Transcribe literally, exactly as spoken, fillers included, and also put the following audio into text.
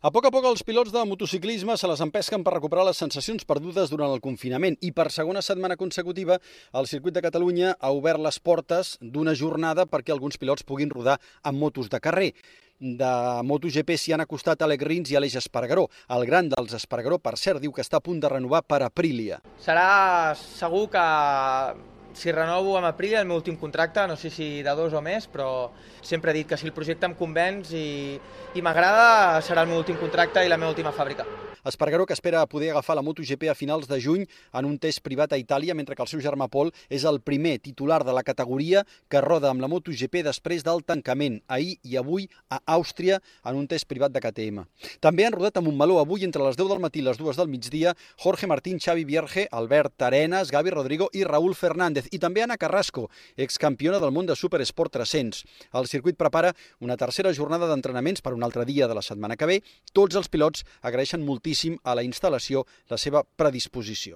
A poc a poc els pilots de motociclisme se les empesquen per recuperar les sensacions perdudes durant el confinament i per segona setmana consecutiva el Circuit de Catalunya ha obert les portes d'una jornada perquè alguns pilots puguin rodar amb motos de carrer. De MotoGP s'hi han acostat Alex Rins i Aleix Espargaró. El gran dels Espargaró, per cert, diu que està a punt de renovar per Aprilia. Serà segur que si renovo amb Aprilia el meu últim contracte, no sé si de dos o més, però sempre he dit que si el projecte em convenç i, i m'agrada, serà el meu últim contracte i la meva última fàbrica. Espargaró, que espera poder agafar la MotoGP a finals de juny en un test privat a Itàlia, mentre que el seu germà Pol és el primer titular de la categoria que roda amb la MotoGP després del tancament, ahir i avui a Àustria, en un test privat de K T M. També han rodat a Montmeló avui entre les deu del matí i les dues del migdia Jorge Martín, Xavi Vierge, Albert Arenas, Gavi Rodrigo i Raúl Fernández. I també Ana Carrasco, excampiona del món de Supersport tres-cents. El circuit prepara una tercera jornada d'entrenaments per un altre dia de la setmana que ve. Tots els pilots agraeixen moltíssim a la instal·lació la seva predisposició.